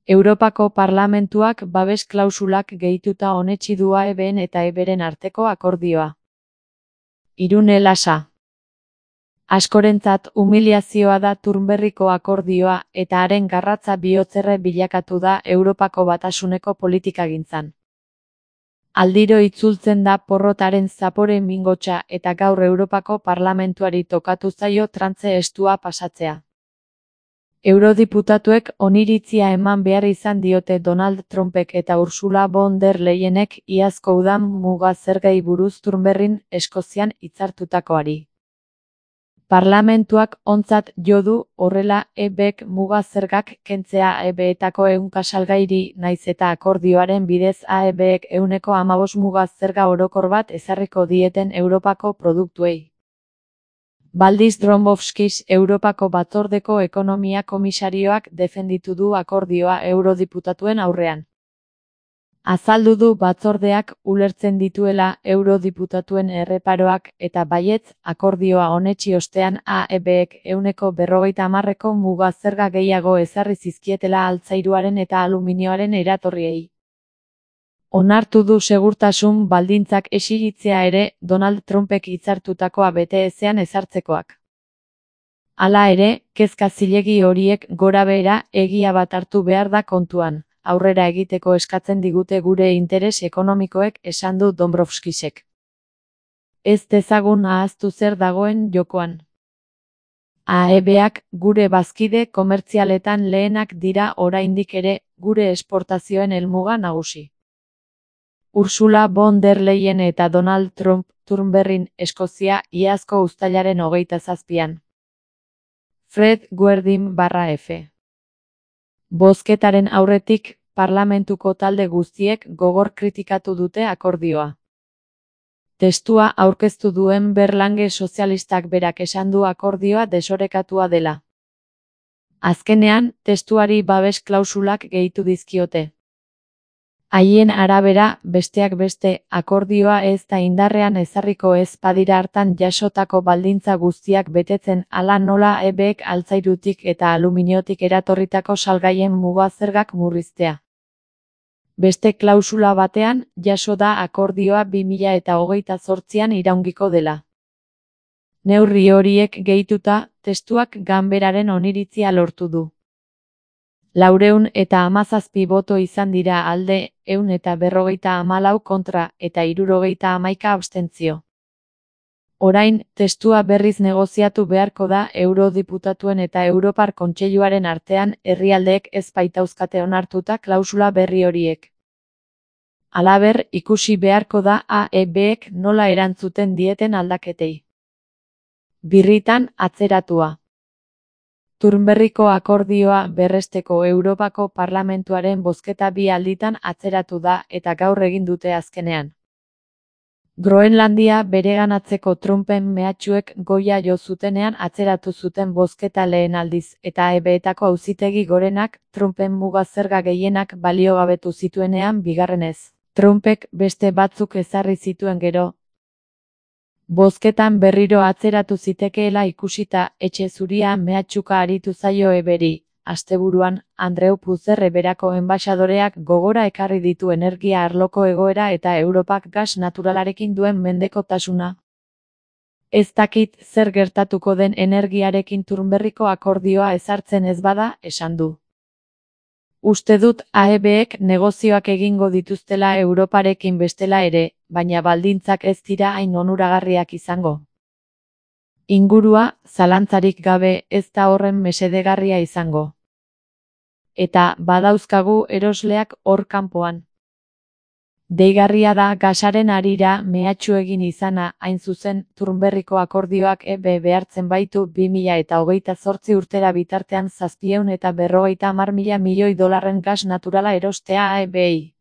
Europako Parlamentuak babes klausulak gehituta onetsi du AEBen eta EBren arteko akordioa. Irune Lasa. Askorentzat humiliazioa da Turnberriko akordioa eta haren garratza bihotzerre bilakatu da Europako Batasuneko politikagintzan. Aldiro itzultzen da porrotaren zapore mingotsa eta gaur Europako Parlamentuari tokatu zaio trantze estua pasatzea. Eurodiputatuek oniritzia eman behar izan diote Donald Trumpek eta Ursula von der Leyenek iazko udan muga zergei buruz Turnberrin Eskozian hitzartutakoari. Parlamentuak ontzat jo du horrela EBek muga zergak kentzea EBetako ehunka salgairi naiz eta akordioaren bidez AEBek 15% muga zerga orokor bat ezarriko dieten Europako produktuei. Valdis Dombrovskis Europako Batzordeko Ekonomia Komisarioak defenditu du akordioa eurodiputatuen aurrean. Azaldu du batzordeak ulertzen dituela eurodiputatuen erreparoak eta baietz akordioa onetsi ostean AEBek 50% muga zerga gehiago ezarri zizkietela altzairuaren eta aluminioaren eratorriei. Onartu du segurtasun baldintzak exigitzea ere Donald Trumpek hitzartutakoa bete ezean ezartzekoak. Hala ere, kezka zilegi horiek gorabehera egia bat hartu behar da kontuan, aurrera egiteko eskatzen digute gure interes ekonomikoek, esan du Dombrovskisek. Ez dezagun ahaztu zer dagoen jokoan. AEBak gure bazkide komertzialetan lehenak dira oraindik ere gure esportazioen helmuga nagusi. Ursula von der Leyen eta Donald Trump Turnberrin Eskozia iazko uztailaren 27an. Fred Guerdin/F. Bozketaren aurretik, parlamentuko talde guztiek gogor kritikatu dute akordioa. Testua aurkeztu duen Berlange sozialistak berak esan du akordioa desorekatua dela. Azkenean, testuari babes klausulak gehitu dizkiote. Haien arabera, besteak beste, akordioa ez da indarrean ezarriko ez badira hartan jasotako baldintza guztiak betetzen hala nola EBek altzairutik eta aluminiotik eratorritako salgaien muga zergak murriztea. Beste klausula batean, jaso da akordioa 2028an iraungiko dela. Neurri horiek gehituta, testuak ganberaren oniritzia lortu du. 417 boto izan dira alde, 154 kontra eta 71 abstentzio. Orain, testua berriz negoziatu beharko da eurodiputatuen eta Europar Kontseiluaren artean herrialdeek ez baitauzkate onartuta klausula berri horiek. Halaber, ikusi beharko da AEBek nola erantzuten dieten aldaketei. Birritan atzeratua. Turnberriko akordioa berresteko Europako Parlamentuaren bozketa 2 alditan atzeratu da eta gaur egin dute azkenean. Groenlandia bereganatzeko Trumpen mehatxuek goia jo zutenean atzeratu zuten bozketa lehen aldiz eta EBetako auzitegi gorenak Trumpen muga zerga gehienak baliogabetu zituenean bigarrenez. Trumpek beste batzuk ezarri zituen gero. Bozketan berriro atzeratu zitekeela ikusita etxe zuria mehatxuka aritu zaio EBri. Asteburuan, Andreu Puzerre berako enbaxadoreak gogora ekarri ditu energia arloko egoera eta Europak gas naturalarekin duen mendekotasuna. Ez dakit zer gertatuko den energiarekin Turnberriko akordioa ezartzen ez bada, esan du. Uste dut AEBek negozioak egingo dituztela Europarekin bestela ere, baina baldintzak ez dira hain onuragarriak izango. Ingurua, zalantzarik gabe, ez da horren mesedegarria izango. Eta badauzkagu erosleak hor kanpoan. Deigarria da gasaren harira mehatxu egin izana, hain zuzen, Turnberriko akordioak EB behartzen baitu 2028 urtera bitartean 750 milioi dolarren gas naturala erostea AEBei.